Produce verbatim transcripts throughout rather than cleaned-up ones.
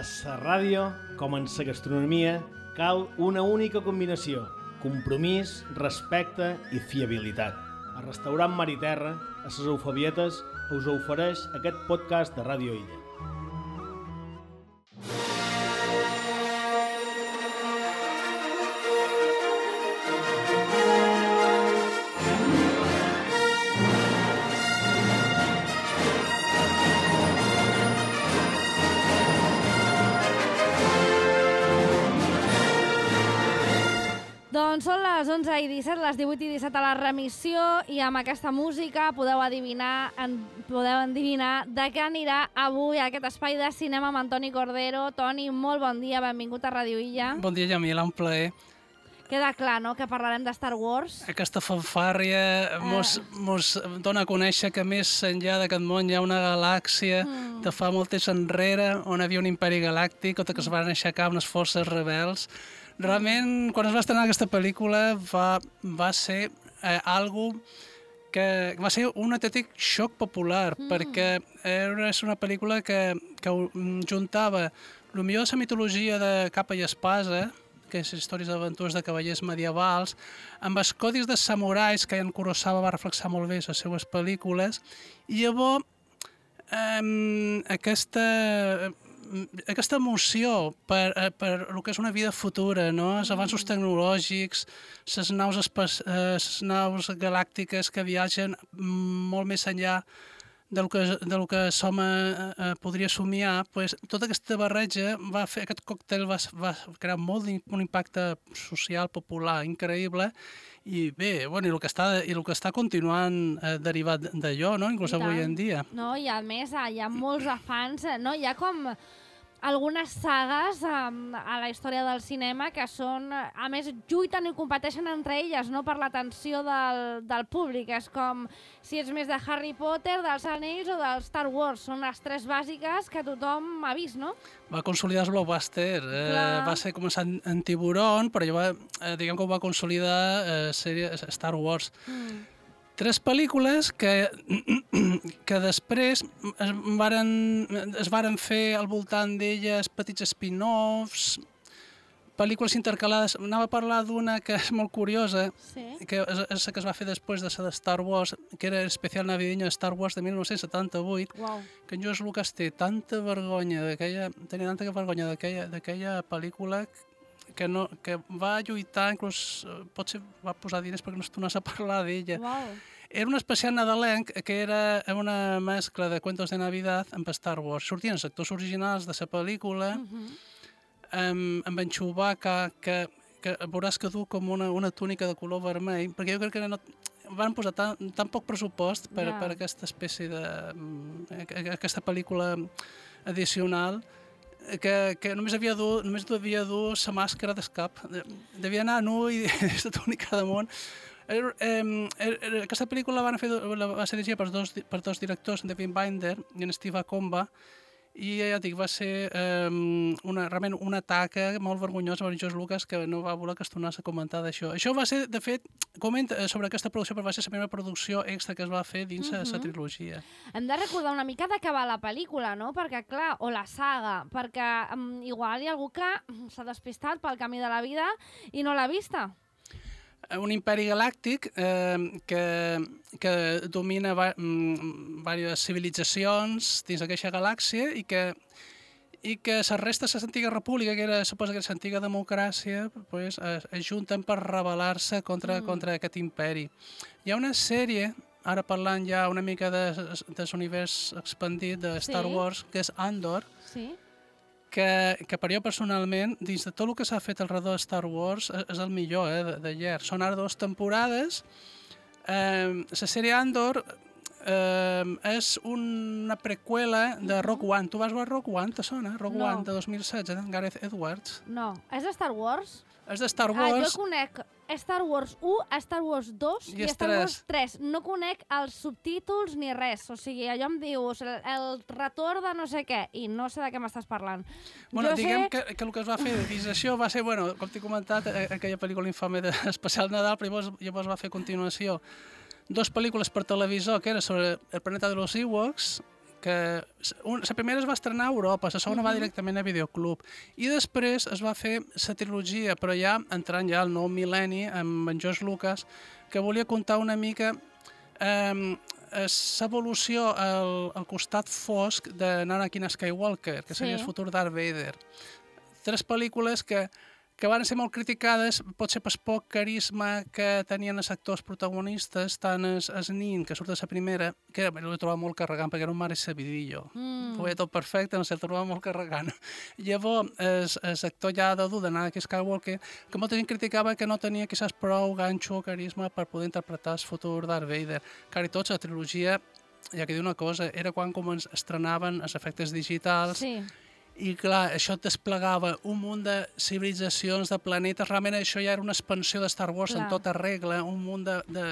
A la ràdio, com en la gastronomia, cal una única combinació: compromís, respecte i fiabilitat. El restaurant Mar i Terra, a les Eufabietes, us ofereix aquest podcast de Ràdio Illa. Doncs són les onze i disset, les divuit i disset a la remissió, i amb aquesta música podeu adivinar, en, podeu endivinar de què anirà avui aquest espai de cinema amb Antoni Cordero. Toni, molt bon dia, benvingut a Ràdio Illa. Bon dia, Jamila, un plaer. Queda clar, no?, que parlarem de Star Wars. Aquesta fanfàrria eh. mos, mos dona a conèixer que més enllà d'aquest món hi ha una galàxia mm. de fa molt temps enrere, on hi havia un imperi galàctic, on es van aixecar unes forces rebels. Realment, quan es va estrenar aquesta pel·lícula, va, va ser eh, algo que va ser un autèntic xoc popular, mm. perquè era una pel·lícula que, que juntava el millor de la mitologia de capa i espasa, que és històries d'aventures de cavallers medievals, amb els codis de samurais que en Kurosawa va reflexar molt bé a les seues pel·lícules, i llavors eh, aquesta... aquesta emoció per, per el que és una vida futura, no? Els avanços tecnològics, les naus, espa- les naus galàctiques que viatgen molt més enllà del que, del que som eh, podria somiar, pues, tota aquesta barreja va fer, aquest còctel va, va crear molt un impacte social, popular, increïble, i bé, bueno, i el que està, i el que està continuant eh, derivat d'allò, no? Inclús avui en dia. No, i a més hi ha molts afans, no? Hi ha com algunes sagues um, a la història del cinema que són, a més, lluiten i competeixen entre elles, no?, per l'atenció del, del públic. És com si ets més de Harry Potter, dels Anells o del Star Wars. Són les tres bàsiques que tothom ha vist, no? Va consolidar el blockbuster. Eh, va ser començar en Tiburon, però ja va, eh, diguem que ho va consolidar eh, sèrie Star Wars. Mm. Tres pel·lícules que, que després es varen, es varen fer al voltant d'elles petits spin-offs, pel·lícules intercalades. Anava a parlar d'una que és molt curiosa, sí. que és, és la que es va fer després de la de Star Wars, que era Especial Navideño de Star Wars de mil nou-cents setanta-vuit, wow. que en George Lucas té tanta vergonya d'aquella, tenia tanta vergonya d'aquella, d'aquella pel·lícula que, no, que va lluitar, inclús potser va posar diners perquè no es tornés a parlar d'ella. Wow. Era un especial nadalenc que era una mescla de cuentos de Navidad amb Star Wars. Sortien els actors originals de la pel·lícula, uh-huh. amb, amb en Chewbacca, que, que veuràs que du com una, una túnica de color vermell, perquè jo crec que no, van posar tan, tan poc pressupost per, yeah. per aquesta espècie de... aquesta pel·lícula addicional, que, que només havia dur, només havia dur la màscara d'escap. Devia anar nu i aquesta túnica damunt. Er, eh, er, aquesta pel·lícula va, fer, va ser dirigida per dos, per dos directors, David Binder i en Steve Akomba, i ja dic, va ser eh, una, realment una taca molt vergonyosa per George Lucas, que no va voler que es tornés a comentar d'això. Això va ser, de fet, comenta sobre aquesta producció, però va ser la primera producció extra que es va fer dins la uh-huh. trilogia. Hem de recordar una mica de què va la pel·lícula, no? Perquè, clar, o la saga, perquè um, igual hi ha algú que s'ha despistat pel camí de la vida i no l'ha vista. Un imperi galàctic eh, que, que domina va, mm, diverses civilitzacions dins d'aquesta galàxia i que, i que les restes de l'antiga república, que era, suposa que era l'antiga democràcia, pues, es, es junten per rebel·lar-se contra, mm. contra aquest imperi. Hi ha una sèrie, ara parlant ja una mica de, de l'univers expandit de Star sí. Wars, que és Andor, sí. Que, que per jo personalment, dins de tot el que s'ha fet al redor de Star Wars, és, és el millor eh, de, de llar. Són ara dues temporades. Eh, la sèrie Andor eh, és una preqüela de Rogue One. Tu vas veure Rogue One, te sona? Rogue no. One de dos mil setze, d'en Gareth Edwards. No. És de Star Wars? És de Star Wars. Ah, jo conec Star Wars u, Star Wars dos i, i Star Wars tres. No conec els subtítols ni res. O sigui, allò em dius el, el retorn de no sé què i no sé de què m'estàs parlant. Bueno, jo diguem sé... que, que el que es va fer dins això va ser, bueno, com t'he comentat, aquella pel·lícula infame d'Especial Nadal, però llavors, llavors va fer a continuació dos pel·lícules per televisor, que era sobre el planeta de los Ewoks, que un, la primera es va estrenar a Europa, la segona uh -huh. va directament a Videoclub, i després es va fer la trilogia, però ja entrant ja al nou mil·lenni amb en George Lucas, que volia contar una mica eh, l'evolució al, al costat fosc de Anakin Skywalker, que seria sí. el futur Darth Vader. Tres pel·lícules que que van ser molt criticades, potser per poc carisma que tenien els actors protagonistes, tant el, el nin, que surt de la primera, que l'he trobat molt carregant, perquè era un mare sabidillo. Mm. Ho veia tot perfecte, no sé, el trobava molt carregant. Llavors, l'actor ja d'adult d'Anakin Skywalker, que molta gent criticava que no tenia quizás prou ganxo o carisma per poder interpretar el futur Darth Vader. Car i tots, la trilogia, ja que diu una cosa, era quan com estrenaven els efectes digitals, sí. I clar, això desplegava un munt de civilitzacions, de planetes, realment això ja era una expansió de Star Wars clar. En tota regla, un munt de, de,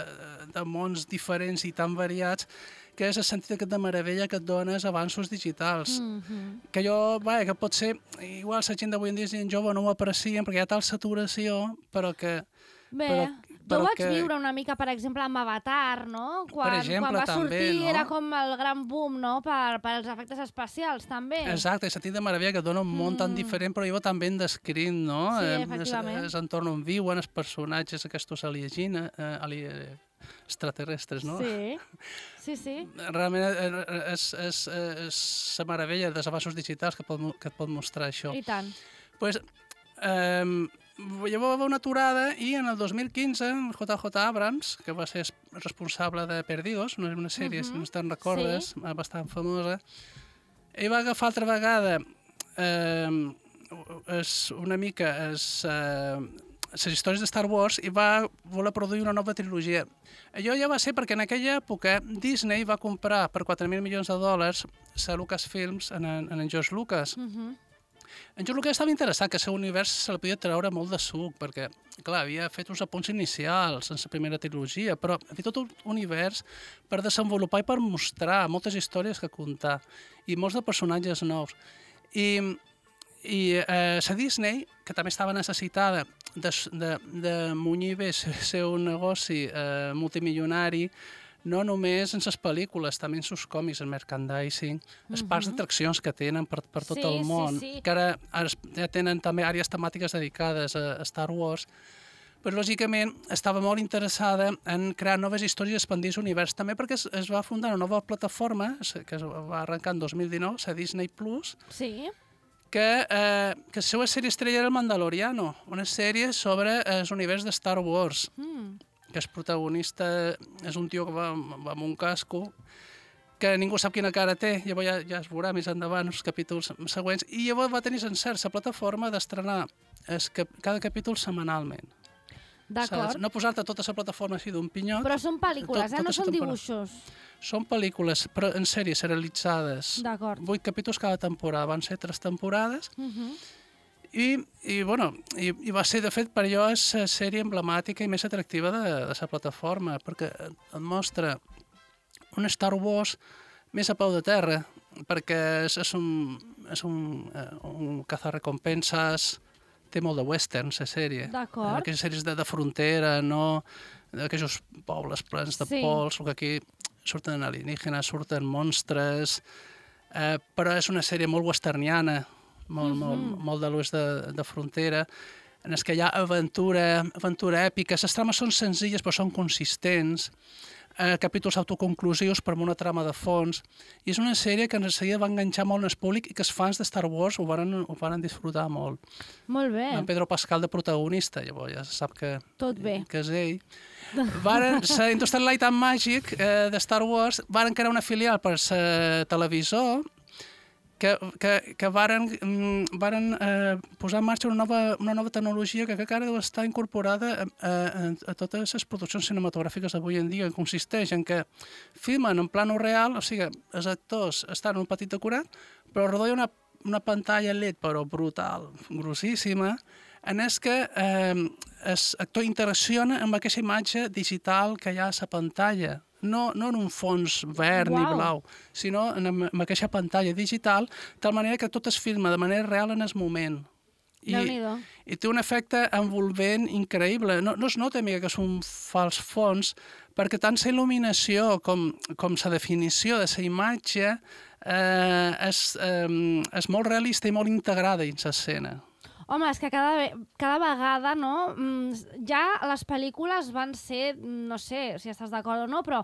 de mons diferents i tan variats, que és el sentit de meravella que et dones avanços digitals. Mm-hmm. Que jo, vaja, que pot ser, igual la gent d'avui en dia gent jove no ho aprecien perquè hi ha tal saturació, però que... Bé, però, però jo vaig que... viure una mica, per exemple, amb Avatar, no? Quan, per exemple, quan va també, sortir no? Era com el gran boom, no?, per, per als efectes especials, també. Exacte, el sentit de meravella que et dona un món mm. tan diferent, però jo també ben descrit, no? Sí, eh, efectivament. És entorn on viuen els personatges aquests aliegina, eh, ali, extraterrestres, no? Sí, sí, sí. Realment és, és, és la meravella dels avanços digitals que, pot, que et pot mostrar això. I tant. Pues, eh, llavors va haver una aturada i en el dos mil quinze J J Abrams, que va ser responsable de Perdidos, una, una sèrie, uh -huh. si no te'n recordes, sí. bastant famosa, ell va agafar altra vegada eh, es, una mica es, eh, les històries de Star Wars i va voler produir una nova trilogia. Allò ja va ser perquè en aquella època Disney va comprar per quatre mil milions de dòlars a Lucasfilms en, en, en George Lucas. Uh -huh. En George Lucas estava interessat que el seu univers se li podia treure molt de suc, perquè, clar, havia fet uns apunts inicials en la primera trilogia, però havia tot un univers per desenvolupar i per mostrar moltes històries que contar, i molts de personatges nous. I, i eh, la Disney, que també estava necessitada de, de, de munyir bé el seu negoci eh, multimilionari, no només en les pel·lícules, també en els còmics, el merchandising, els parcs uh -huh. d'atraccions que tenen per, per tot sí, el món, sí, sí. que ara, ara ja tenen també àrees temàtiques dedicades a, a Star Wars, però lògicament estava molt interessada en crear noves històries i expandir l'univers, també perquè es, es va fundar una nova plataforma, que es va arrencar en dos mil dinou, la Disney Plus, sí. que, eh, que la seva sèrie estrella era El Mandaloriano, una sèrie sobre l'univers de Star Wars. Mm. Que el protagonista és un tio que va, va amb un casco, que ningú sap quina cara té, llavors ja, ja es veurà més endavant els capítols següents, i llavors va tenir encert la plataforma d'estrenar cada capítol setmanalment. D'acord. No posar-te tota la plataforma així d'un pinyot. Però són pel·lícules, tot, eh? No són dibuixos. Són pel·lícules, però en sèries serialitzades. D'acord. Vuit capítols cada temporada, van ser tres temporades. Uh -huh. I, i, bueno, i, i va ser, de fet, per allò és la sèrie emblemàtica i més atractiva de, de la plataforma, perquè et mostra un Star Wars més a peu de terra, perquè és, és un, és un, un cazarrecompenses, té molt de western, la sèrie. D'acord. Aquelles sèries de, de frontera, no? Aquells pobles plens de sí. pols, que aquí surten alienígenes, surten monstres, eh, però és una sèrie molt westerniana, molt, mm-hmm. molt, molt de l'oest de, de frontera, en què hi ha aventura, aventura èpica. Les trames són senzilles però són consistents, eh, capítols autoconclusius però amb una trama de fons, i és una sèrie que en seguida va enganxar molt en el públic i que els fans de Star Wars ho van, ho van disfrutar molt. Molt bé. En Pedro Pascal de protagonista, llavors ja se sap que, Tot bé. que és ell. Varen, la Industrial Light and Magic eh, de Star Wars varen crear una filial per la televisor que, que, que varen, varen eh, posar en marxa una nova, una nova tecnologia que encara deu estar incorporada a, a, a totes les produccions cinematogràfiques d'avui en dia, que consisteix en que filmen en plano real, o sigui, els actors estan en un petit decorat, però al darrere hi ha una, una pantalla L E D, però brutal, grossíssima, en és que eh, l'actor interacciona amb aquesta imatge digital que hi ha a la pantalla. No, no en un fons verd wow. ni blau, sinó en, en aquesta pantalla digital, de tal manera que tot es filma de manera real en el moment. I, i té un efecte envolvent increïble. No, no es nota mica que és un fals fons, perquè tant la il·luminació com, com la definició de la imatge eh, és, eh, és molt realista i molt integrada dins l'escena. Home, és que cada, cada vegada, no? Ja les pel·lícules van ser, no sé si estàs d'acord o no, però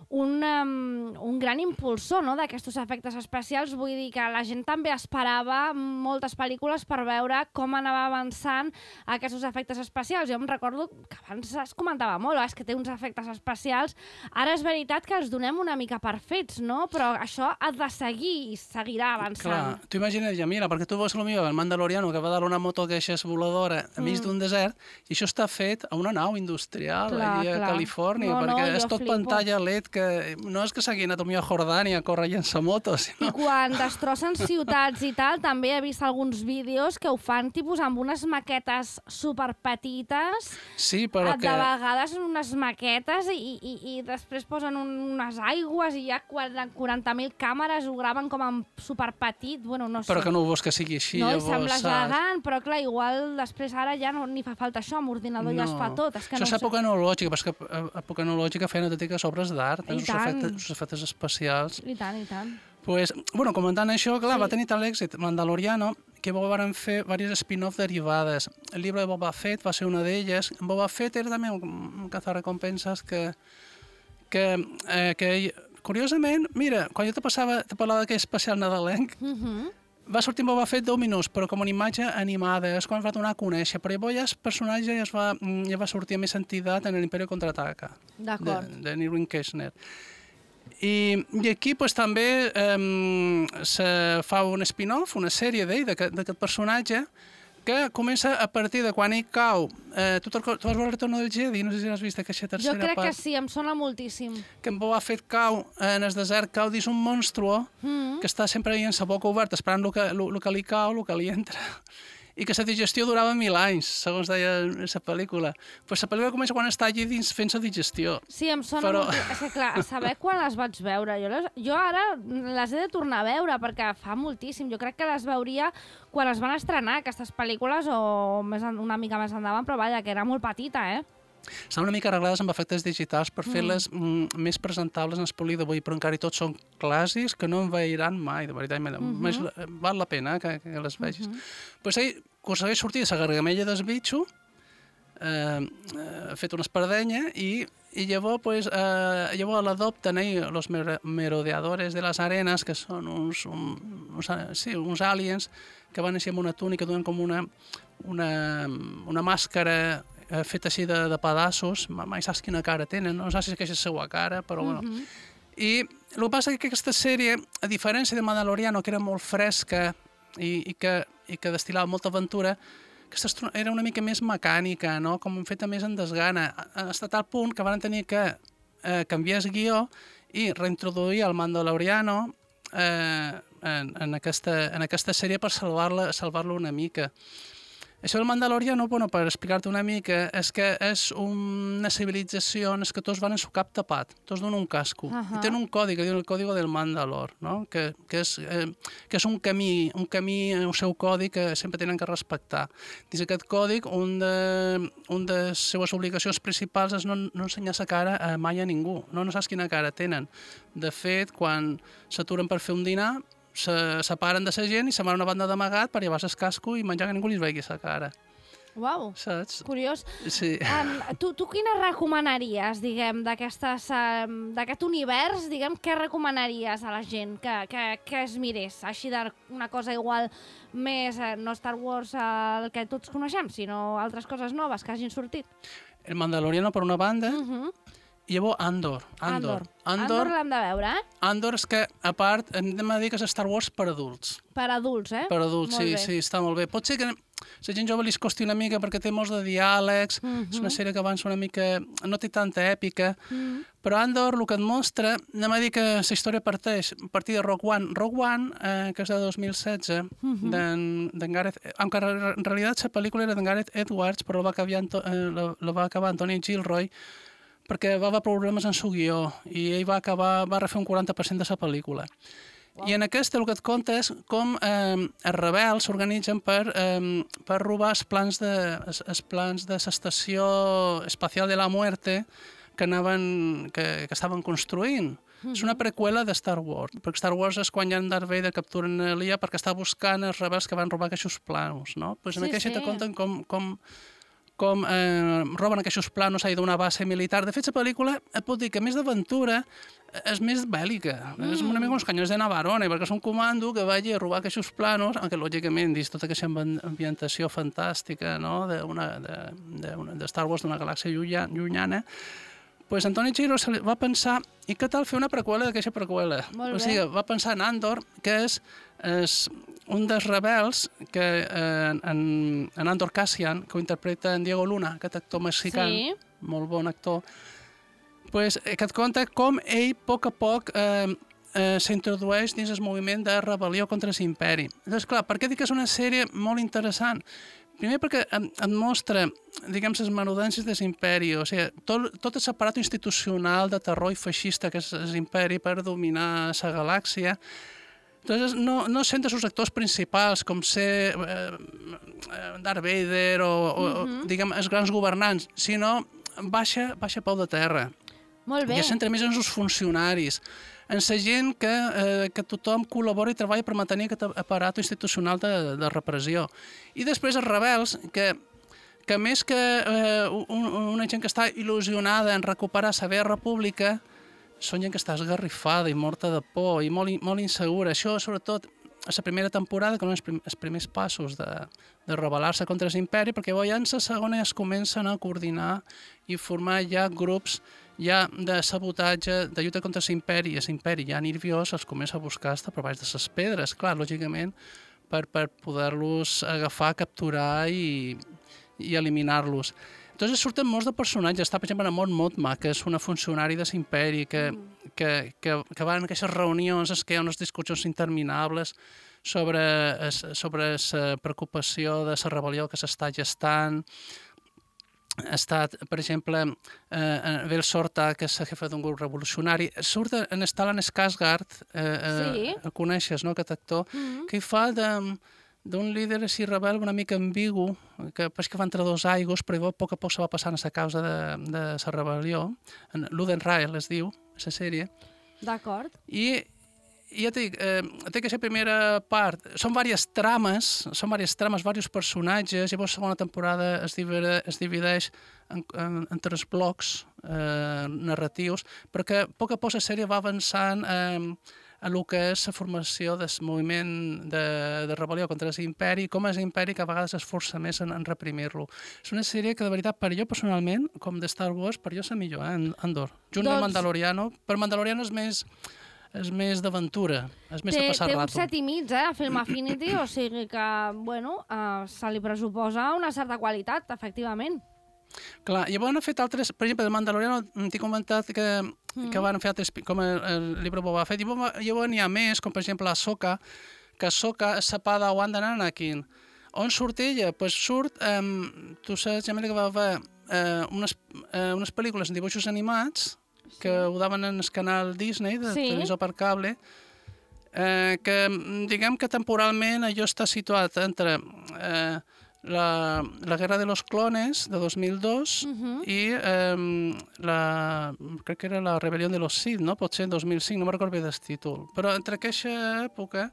un, um, un gran impulsor, no?, d'aquests efectes especials. Vull dir que la gent també esperava moltes pel·lícules per veure com anava avançant aquests efectes especials. Jo em recordo que abans es comentava molt, és que té uns efectes especials. Ara és veritat que els donem una mica per fets, no? Però això ha de seguir i seguirà avançant. Clar, tu imagina't, ja, mira, perquè tu veus potser el Mandaloriano que va dar una moto que és voladora enmig mm. d'un desert i això està fet a una nau industrial clar, allà a clar. Califòrnia, no, perquè no, és tot flipo. Pantalla L E D que no és que s'hagi anat a Jordània a córrer llançamotos. Sinó... I quan destrossen ciutats i tal, també he vist alguns vídeos que ho fan tipus amb unes maquetes superpetites. Sí, però de que... De vegades unes maquetes i, i, i després posen un, unes aigües i hi ha quaranta mil càmeres, ho graven com en superpetit, bueno, no sé. Però que no ho vols que sigui així, no, llavors, sembla gegant, però clar, igual després ara ja no ni fa falta això, amb ordinador no. Ja es fa tot. És que això no és època analògica, però és que època analògica feien autèntiques obres d'art. I tant. Els efectes especials. I tant, i tant. Pues, bueno, comentant això, clar, sí. Va tenir tal èxit Mandaloriano que van fer diverses spin-off derivades. El llibre de Boba Fett va ser una d'elles. Boba Fett era també un cazarrecompenses que, que, eh, que curiosament, mira, quan jo te passava, te parlava d'aquell especial nadalenc, uh-huh. Va sortir Boba Fett deu minuts, però com una imatge animada, és quan es va donar a conèixer, però llavors ja el personatge ja, es va, ja va sortir a més entitat en l'Imperi Contraataca, de, de Irwin Kershner. I, i aquí pues, també eh, se fa un spin-off, una sèrie d'ell, d'aquest personatge, que comença a partir de quan ell cau. Eh, tu, tu vas veure el Retorno del Jedi? No sé si has vist aquesta tercera part. Jo crec part, que sí, em sona moltíssim. Que en Boba Fett cau en el desert, cau dins un monstruo mm-hmm. que està sempre ahí amb la boca oberta, esperant el que, el, el que li cau, el que li entra. I que la digestió durava mil anys, segons deia la pel·lícula. Pues la pel·lícula comença quan està allí dins fent la digestió. Sí, em sona però... molt... És que, clar, saber quan les vaig veure. Jo, les... jo ara les he de tornar a veure, perquè fa moltíssim. Jo crec que les veuria quan es van estrenar, aquestes pel·lícules, o més en... una mica més endavant, però vaja, que era molt petita, eh? Estan una mica arreglades amb efectes digitals per fer-les mm. més presentables en el poli d'avui, però encara i tots són clàssics que no en veiran mai, de veritat. Mm-hmm. Més, val la pena que, que les vegis. Mm-hmm. Pues ell aconsegueix sortir de la gargamella del bitxo, eh, eh, fet una espardenya, i, i llavors, pues, eh, llavors l'adopten ell, els merodeadores de les arenes, que són uns, un, uns, sí, uns aliens que van així amb una túnica, donen com una, una, una màscara feta així de, de pedaços, mai saps quina cara tenen, no saps si és la seva cara, però bueno. Mm-hmm. I el que passa és que aquesta sèrie, a diferència de Mandaloriano, que era molt fresca i, i, que, i que destil·lava molta aventura, aquesta era una mica més mecànica, no? Com feta més en desgana, fins a tal punt que van tenir que eh, canviar el guió i reintroduir el Mandaloriano eh, en, en, aquesta, en aquesta sèrie per salvar-la salvar-la una mica. Això del Mandaloriano, bueno, per explicar-te una mica, és que és una civilització en què tots van amb el cap tapat, tots donen un casco. Uh-huh. I tenen un codi, que diu el código del Mandalor, no? que, que, és, eh, que és un camí, un camí, el seu codi que sempre tenen que respectar. Dins aquest codi, un de, un de les seues obligacions principals és no, no ensenyar la cara a mai a ningú. No, no saps quina cara tenen. De fet, quan s'aturen per fer un dinar, se separen de la gent i se'n van a una banda d'amagat per llevar el casco i menjar que ningú li vegi la cara. Uau, saps? Curiós. Sí. Um, tu, tu quina recomanaries, diguem, d'aquestes, um, d'aquest univers, diguem, què recomanaries a la gent que, que, que es mirés? Així d'una cosa igual més, eh, no Star Wars el que tots coneixem, sinó altres coses noves que hagin sortit. El Mandaloriano, per una banda, uh-huh. I llavors Andor. Andor, Andor. Andor l'hem de veure, eh? Andor és que, a part, hem de dir que és Star Wars per adults. Per adults, eh? Per adults, molt sí, bé. Sí, està molt bé. Pot ser que la gent jove li costi una mica perquè té molts de diàlegs, uh-huh. És una sèrie que avança una mica... no té tanta èpica, uh-huh. Però Andor el que et mostra, anem a dir que la història parteix a partir de Rogue One. Rogue One, eh, que és de dos mil setze, uh-huh. d'en Gareth... Aunque en realitat la pel·lícula era d'en Gareth Edwards, però la va acabar, eh, la, la va acabar Antoni Gilroy, perquè va haver problemes en el guió i ell va acabar, va refer un quaranta per cent de la pel·lícula. Wow. I en aquesta el que et conta és com eh, els rebels s'organitzen per, eh, per robar els plans de els, els plans de l'estació espacial de la Muerte que, anaven, que, que estaven construint. Mm-hmm. És una preqüela de Star Wars, perquè Star Wars és quan ja en Darth Vader capturen Leia perquè està buscant els rebels que van robar aquests planos, no? Pues en sí, aquesta sí. te conten com, com, com eh, roben aquests planos ahí d'una base militar. De fet, la pel·lícula et pot dir que més d'aventura és més bèl·lica. Mm. És una mica com els canyons de Navarone, perquè és un comando que vagi a robar aquests planos, aunque lògicament dins tota aquesta ambientació fantàstica, no? de, una, de, de, una, de Star Wars d'una galàxia llunyana, pues Antoni Giro va pensar, i què tal fer una preqüela d'aquesta preqüela? O sigui, va pensar en Andor, que és, és un dels rebels que eh, en, en Andor Cassian, que ho interpreta en Diego Luna, aquest actor mexicà, sí. molt bon actor, pues, que et conta com ell, a poc a poc, eh, eh, s'introdueix dins el moviment de rebel·lió contra l'imperi. Llavors, clar, per què dic que és una sèrie molt interessant? Primer perquè et mostra, diguem, les menudències de l'imperi, o sigui, tot, tot el aparato institucional de terror i feixista que és l'imperi per dominar la galàxia. Entonces, no, no sentes els actors principals, com ser eh, Darth Vader o, o, uh-huh. diguem, els grans governants, sinó baixa, baixa peu de terra. Molt bé. I es centra més en els funcionaris, en la gent que, eh, que tothom col·labora i treballa per mantenir aquest aparat institucional de, de repressió. I després els rebels, que, que més que eh, un, una gent que està il·lusionada en recuperar la vella república, són gent que està esgarrifada i morta de por i molt, molt insegura. Això, sobretot, a la primera temporada, que són els, prim, els primers passos de, de rebel·lar-se contra l'imperi, perquè llavors la segona ja es comencen a coordinar i formar ja grups ja de sabotatge, de lluita contra l'imperi, i l'imperi ja nerviós els comença a buscar hasta per baix de les pedres, clar, lògicament, per, per poder-los agafar, capturar i, i eliminar-los. Entonces surten molts de personatges. Està, per exemple, Mon Mothma, que és una funcionària de l'imperi, que, mm. que, que, que van en aquestes reunions, que hi ha unes discussions interminables sobre, sobre la preocupació de la rebel·lió que s'està gestant. Ha estat, per exemple, eh, Vel Sorta, que és la jefa d'un grup revolucionari. Surt en Stellan Skarsgård, eh, sí. eh, el coneixes, no?, aquest actor, mm-hmm. que hi fa de... d'un líder així rebel una mica ambigu, que pareix que va entre dos aigües, però a poc a poc se va passant a la causa de, de la rebel·lió. Luden Rael es diu, la sèrie. D'acord. I, i ja t'he dit, eh, té aquesta primera part, són diverses trames, són diverses trames, diversos personatges, llavors la segona temporada es, divide, es divideix en, en, en tres blocs eh, narratius, però que a poc a poc la sèrie va avançant eh, a el que és la formació del moviment de, de rebel·lió contra l'imperi, com és l'imperi que a vegades es força més en, en reprimir-lo. És una sèrie que, de veritat, per jo personalment, com de Star Wars, per jo és la millor, eh, Andor. Junt doncs... amb Mandaloriano, però Mandaloriano és més, és més d'aventura, és més té, de passar rato. Té un set i mig, eh, a Film Affinity, o sigui que, bueno, eh, se li pressuposa una certa qualitat, efectivament. Clar, llavors han fet altres, per exemple, de Mandaloriano t'he comentat que, mm. que van fer altres, com el, el llibre Boba Fett, llavors n'hi ha més, com per exemple Ahsoka, que Ahsoka és la Padawan d'Anakin. On surt ella? Pues surt, um, tu saps, Jamila, que va haver uh, unes, uh, unes pel·lícules en dibuixos animats, sí. que ho daven en el canal Disney, de sí. televisió per cable, eh, que diguem que temporalment allò està situat entre... Eh, La, la Guerra de los Clones, de dos mil dos, uh-huh. i eh, la, crec que era la Rebel·lió de los Sith, no? Potser en dos mil cinc, no me'n recordo bé del títol. Però entre aquesta època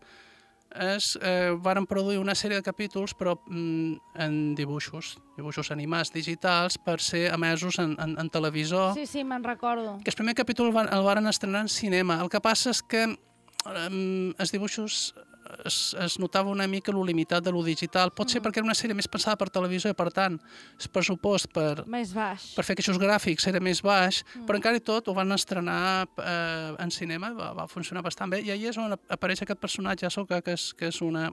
es, eh, van produir una sèrie de capítols, però mm, en dibuixos, dibuixos animats digitals, per ser emesos en, en, en televisor. Sí, sí, me'n recordo. Que el primer capítol el van, el van estrenar en cinema. El que passa és que eh, els dibuixos... Es, es notava una mica lo limitat de lo digital. Pot ser mm. perquè era una sèrie més pensada per televisió i, per tant, el pressupost per, més baix. per fer aquests gràfics era més baix, mm. però encara i tot ho van estrenar eh, en cinema, va, va funcionar bastant bé, i ahir és on apareix aquest personatge, Ahsoka, que és, que és una...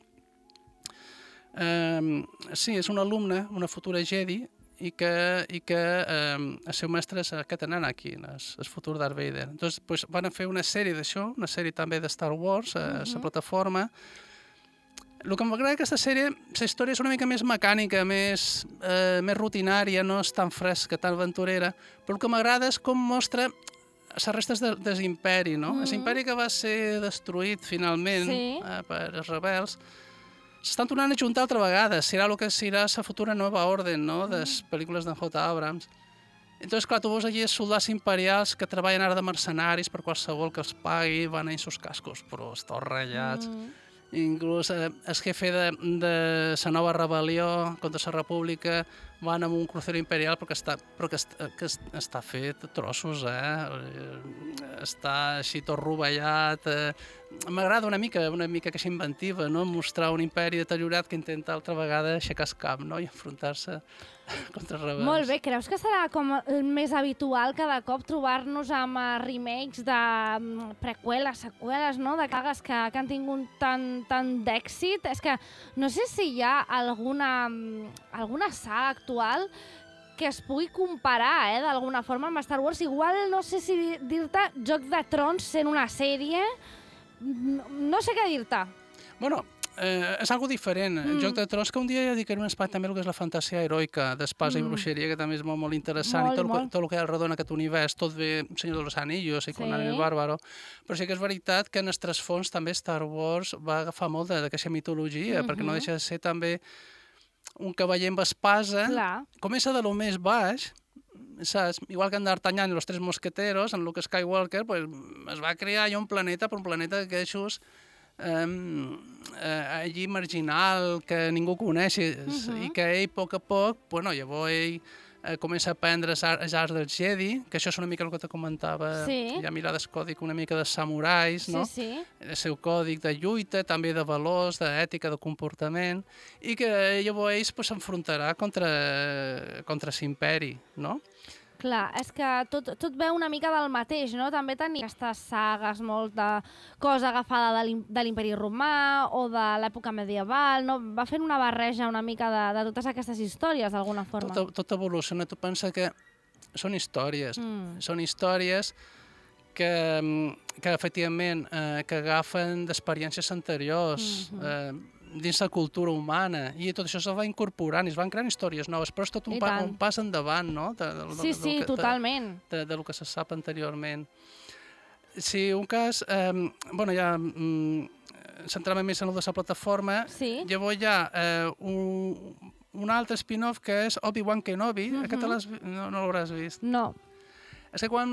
Eh, sí, és una alumna, una futura Jedi, i que, i que eh, el seu mestre és aquest Anakin, el, el futur Darth Vader. Entonces, pues, van fer una sèrie d'això, una sèrie també de Star Wars, a la uh-huh. plataforma. El que m'agrada d'aquesta sèrie, la història és una mica més mecànica, més, eh, més rutinària, no és tan fresca, tan aventurera, però el que m'agrada és com mostra les restes de, de l'imperi, no? Uh-huh. L'imperi que va ser destruït finalment sí. eh, per els rebels, s'estan tornant a juntar altra vegada. Serà el que serà la futura nova orden, no?, de les pel·lícules d'en J. Abrams. Entonces, clar, tu veus allí els soldats imperials que treballen ara de mercenaris per qualsevol que els pagui, van a sus cascos, però estan ratllats. Mm. Inclús eh, el jefe de, de la nova rebel·lió contra la república van amb un crucero imperial però que està, però que està, que està fet trossos, eh? Està així tot rovellat. Eh? M'agrada una mica, una mica aquesta inventiva, no? Mostrar un imperi deteriorat que intenta altra vegada aixecar el cap, no? I enfrontar-se contra els rebels. Molt bé, creus que serà com el més habitual cada cop trobar-nos amb uh, remakes de um, preqüeles, seqüeles, no? De cagues que, que han tingut tant, tant d'èxit? És que no sé si hi ha alguna, alguna saga actual que es pugui comparar, eh, d'alguna forma amb Star Wars. Igual no sé si dir-te Joc de Trons sent una sèrie, no, no sé què dir-te. Bueno, eh, és algo diferent. Mm. Joc de Trons, que un dia ja dedicaré un espai també el que és la fantasia heroica d'espasa mm. i bruixeria, que també és molt, molt interessant, molt, i tot, molt. tot el que hi ha al redon aquest univers, tot ve Senyor dels Anillos i sí. Conan el Bàrbaro, però sí que és veritat que en el trasfons també Star Wars va agafar molt d'aquesta mitologia, mm-hmm. perquè no deixa de ser també un cavaller amb espasa. Clar. Comença de lo més baix, saps? Igual que en D'Artagnan i los tres mosqueteros, en Luke Skywalker, pues, es va crear allà un planeta, però un planeta que és Um, uh, allí marginal, que ningú coneix, uh-huh. i que ell, a poc a poc, bueno, llavors ell uh, comença a aprendre els arts dels Jedi, que això és una mica el que te comentava, sí. Ja mirar el còdic una mica de samurais, no? Sí, sí. El seu còdic de lluita, també de valors, d'ètica, de comportament, i que llavors ell pues, s'enfrontarà contra, contra l'imperi, no? Clar, és que tot, tot veu una mica del mateix, no? També tenia aquestes sagues, molt de cosa agafada de l'Imperi Romà o de l'època medieval, no? Va fent una barreja una mica de, de totes aquestes històries, d'alguna forma. Tot, tot evoluciona. Tu pensa que són històries, mm. són històries que, que efectivament, eh, que agafen d'experiències anteriors, mm-hmm. eh, dins la cultura humana, i tot això se va incorporant i es van creant històries noves, però és tot un, pa, un pas endavant, no? De, de, de, sí, sí, de, totalment. De, de, de lo que se sap anteriorment. Si un cas, eh, bueno, ja mm, centrant-me més en el de la plataforma, sí. Llavors hi ha eh, un, un altre spin-off que és Obi-Wan Kenobi, uh-huh. Aquest no, no l'hauràs vist. No. És que quan,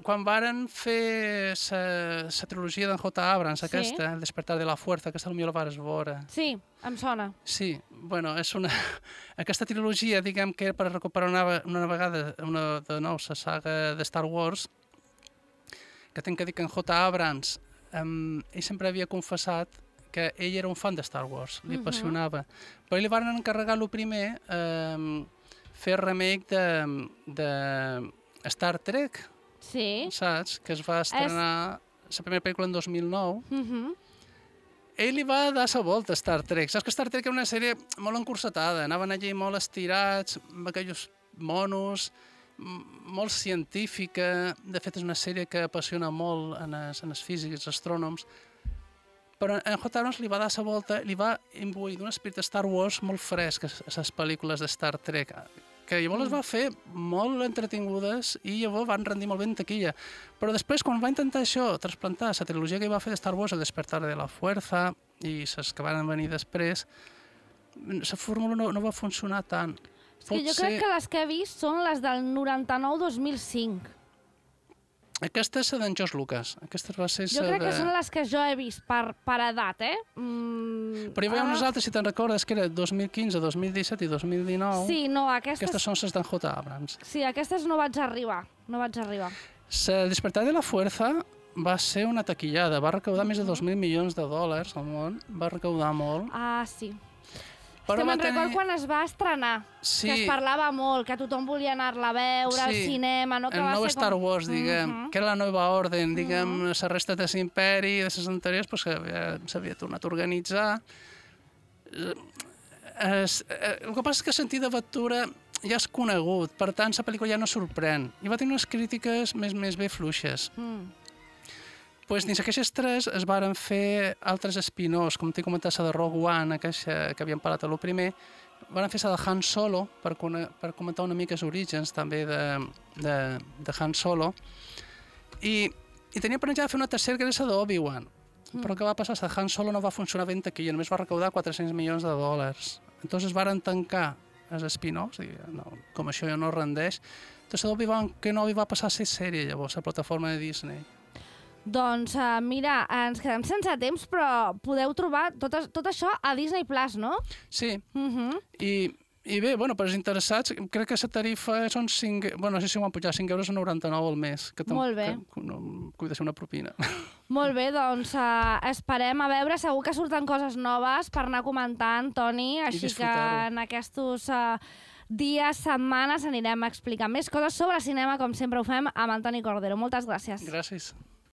quan varen fer la trilogia d'en J. Abrams, sí. Aquesta, El despertar de la fuerza, aquesta potser la vares veure. Sí, em sona. Sí, bueno, és una... Aquesta trilogia, diguem que era per recuperar una, una vegada una, de nou la saga de Star Wars, que tinc que dir que en J. Abrams, um, ell sempre havia confessat que ell era un fan de Star Wars, li uh-huh. apassionava. Però ell li van encarregar el primer, um, fer remake de... de Star Trek, sí. Saps? Que es va estrenar es... la primera pel·lícula en dos mil nou. Uh-huh. Ell li va dar la volta a Star Trek. Saps que Star Trek era una sèrie molt encursetada, anaven allí molt estirats, amb aquells monos, molt científica. De fet, és una sèrie que apassiona molt en els, en els físics, els astrònoms. Però en J. Abrams li va dar la volta, li va imbuir d'un esperit de Star Wars molt fresc a les pel·lícules de Star Trek, que llavors les va fer molt entretingudes i llavors van rendir molt bé en taquilla. Però després, quan va intentar això, trasplantar la trilogia que va fer de Star Wars, El despertar de la fuerza, i les que van venir després, la fórmula no, no va funcionar tant. És que jo crec que les que he vist són les del noranta-nou dos mil cinc. Aquesta és la d'en George Lucas. Aquesta va ser jo crec de... que són les que jo he vist per, per edat, eh? Mm, Però hi havia ah. unes altres, si te'n recordes, que era dos mil quinze, dos mil disset i dos mil dinou. Sí, no, aquestes... Aquestes són les d'en J. Abrams. Sí, aquestes no vaig arribar. No vaig arribar. El despertar de la fuerza va ser una taquillada. Va recaudar mm-hmm. més de dos mil milions de dòlars al món. Va recaudar molt. Ah, sí. Però que me'n tenir... record quan es va estrenar, sí. Que es parlava molt, que tothom volia anar-la a veure sí. Al cinema, no? Que el va nou ser Star com... Wars, diguem, uh-huh. que era la nova orden, diguem, uh-huh. La resta de l'imperi, de les anteriors, pues, s'havia tornat a organitzar. Es, el que passa és que el sentit d'aventura ja és conegut, per tant, la pel·lícula ja no sorprèn. I va tenir unes crítiques més, més bé fluixes. Mm. Pues, dins aquestes tres es varen fer altres spin-offs, com t'he comentat, la de Rogue One, aquesta que havíem parlat a lo primer, varen fer la de Han Solo, per, per comentar una mica els orígens també de, de, de Han Solo, i, i tenia planejat fer una tercera que era la d'Obi-Wan, mm. però què va passar? La de Han Solo no va funcionar ben taquilla, només va recaudar quatre-cents milions de dòlars. Entonces varen tancar els spin-offs, i no, com això ja no rendeix, Entonces Obi-Wan Kenobi va passar a ser sèrie, llavors, a la plataforma de Disney. Doncs uh, mira, ens quedem sense temps, però podeu trobar tot, tot això a Disney Plus, no? Sí, Uh -huh. i, i bé, bueno, per als interessats, crec que la tarifa són cinc... Bueno, no sé si ho han pujat, cinc euros a noranta-nou al mes. Que Molt bé. Que, que, no, que de ser una propina. Molt bé, doncs uh, esperem a veure, segur que surten coses noves per anar comentant, Toni, així que en aquests uh, dies, setmanes anirem a explicar més coses sobre cinema, com sempre ho fem amb Antoni Cordero. Moltes gràcies. Gràcies.